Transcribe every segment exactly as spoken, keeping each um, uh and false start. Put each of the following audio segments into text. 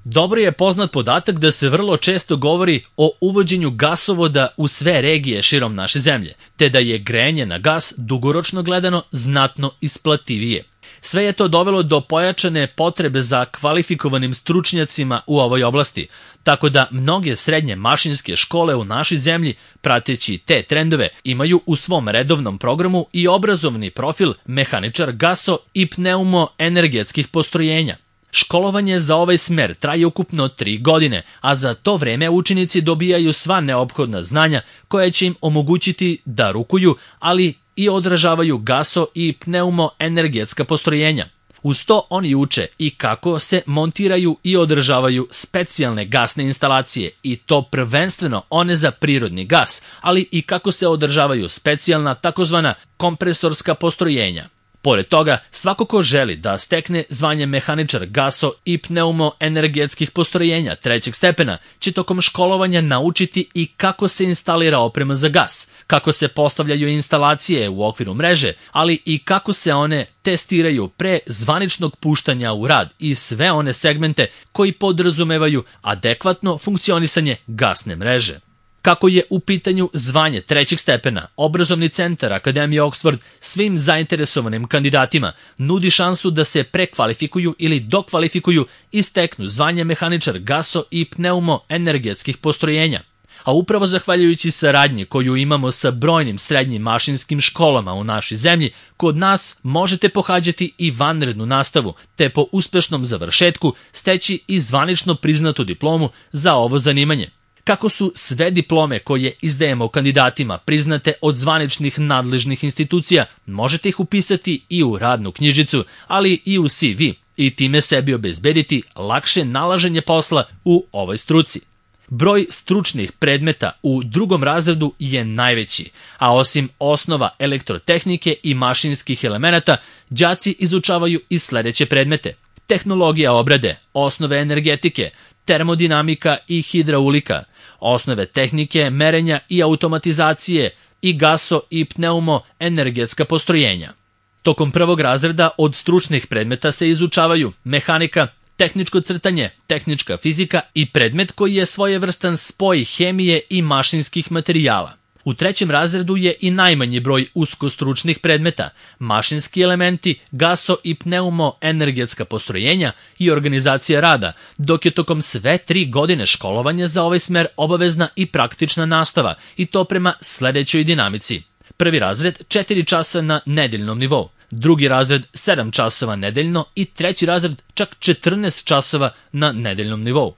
Dobro je poznat podatak da se vrlo često govori o uvođenju gasovoda u sve regije širom naše zemlje, te da je grejanje na gas dugoročno gledano znatno isplativije. Sve je to dovelo do pojačane potrebe za kvalifikovanim stručnjacima u ovoj oblasti, tako da mnoge srednje mašinske škole u našoj zemlji, prateći te trendove, imaju u svom redovnom programu i obrazovni profil mehaničar gaso- i pneumoenergetskih postrojenja. Školovanje za ovaj smer traje ukupno tri godine, a za to vreme učenici dobijaju sva neophodna znanja koja će im omogućiti da rukuju, ali i održavaju gaso- i pneumoenergetska postrojenja. Uz to oni uče i kako se montiraju i održavaju specijalne gasne instalacije, i to prvenstveno one za prirodni gas, ali i kako se održavaju specijalna takozvana kompresorska postrojenja. Pored toga, svako ko želi da stekne zvanje mehaničar gaso- i pneumoenergetskih postrojenja trećeg stepena će tokom školovanja naučiti i kako se instalira oprema za gas, kako se postavljaju instalacije u okviru mreže, ali i kako se one testiraju pre zvaničnog puštanja u rad i sve one segmente koji podrazumevaju adekvatno funkcionisanje gasne mreže. Kako je u pitanju zvanje trećeg stepena, obrazovni centar Akademije Oxford svim zainteresovanim kandidatima nudi šansu da se prekvalifikuju ili dokvalifikuju i steknu zvanje mehaničar gaso- i pneumoenergetskih postrojenja. A upravo zahvaljujući saradnji koju imamo sa brojnim srednjim mašinskim školama u našoj zemlji, kod nas možete pohađati i vanrednu nastavu, te po uspešnom završetku steći i zvanično priznatu diplomu za ovo zanimanje. Kako su sve diplome koje izdajemo kandidatima priznate od zvaničnih nadležnih institucija, možete ih upisati i u radnu knjižicu, ali i u C V, i time sebi obezbediti lakše nalaženje posla u ovoj struci. Broj stručnih predmeta u drugom razredu je najveći, a osim osnova elektrotehnike i mašinskih elemenata, đaci izučavaju i sledeće predmete: tehnologija obrade, osnove energetike, termodinamika i hidraulika, osnove tehnike, merenja i automatizacije i gaso- i pneumoenergetska postrojenja. Tokom prvog razreda od stručnih predmeta se izučavaju mehanika, tehničko crtanje, tehnička fizika i predmet koji je svojevrstan spoj hemije i mašinskih materijala. U trećem razredu je i najmanji broj uskostručnih predmeta, mašinski elementi, gaso- i pneumoenergetska postrojenja i organizacija rada, dok je tokom sve tri godine školovanja za ovaj smer obavezna i praktična nastava, i to prema sledećoj dinamici. Prvi razred četiri časa na nedeljnom nivou, drugi razred sedam časova nedeljno i treći razred čak četrnaest časova na nedeljnom nivou.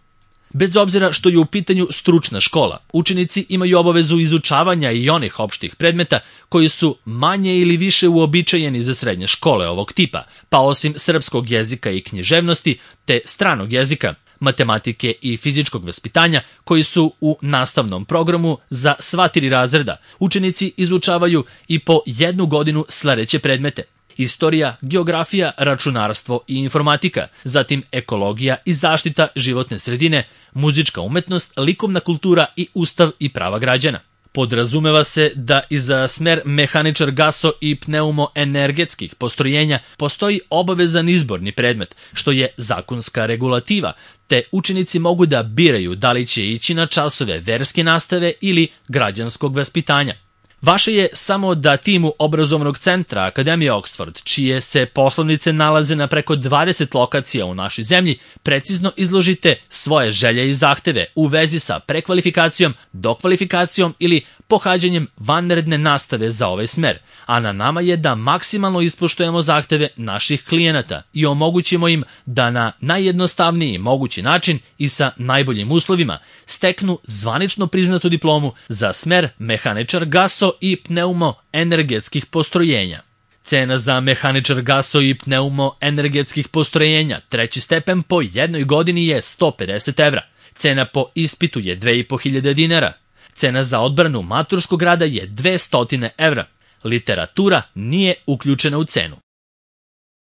Bez obzira što je u pitanju stručna škola, učenici imaju obavezu izučavanja i onih opštih predmeta koji su manje ili više uobičajeni za srednje škole ovog tipa, pa osim srpskog jezika i književnosti te stranog jezika, matematike i fizičkog vaspitanja koji su u nastavnom programu za sva tri razreda, učenici izučavaju i po jednu godinu sledeće predmete: istorija, geografija, računarstvo i informatika, zatim ekologija i zaštita životne sredine, muzička umetnost, likovna kultura i ustav i prava građana. Podrazumeva se da i za smer mehaničar gaso- i pneumoenergetskih postrojenja postoji obavezan izborni predmet, što je zakonska regulativa, te učenici mogu da biraju da li će ići na časove verske nastave ili građanskog vaspitanja. Vaše je samo da timu obrazovnog centra Akademije Oxford, čije se poslovnice nalaze na preko dvadeset lokacija u našoj zemlji, precizno izložite svoje želje i zahteve u vezi sa prekvalifikacijom, dokvalifikacijom ili pohađanjem vanredne nastave za ovaj smer, a na nama je da maksimalno ispoštujemo zahteve naših klijenata i omogućimo im da na najjednostavniji mogući način i sa najboljim uslovima steknu zvanično priznatu diplomu za smer mehaničar gaso- i pneumoenergetskih postrojenja. Cena za mehaničar gaso- i pneumoenergetskih postrojenja treći stepen po jednoj godini je sto pedeset evra. Cena po ispitu je dve i po hiljade dinara. Cena za odbranu maturskog rada je dvesta evra. Literatura nije uključena u cenu.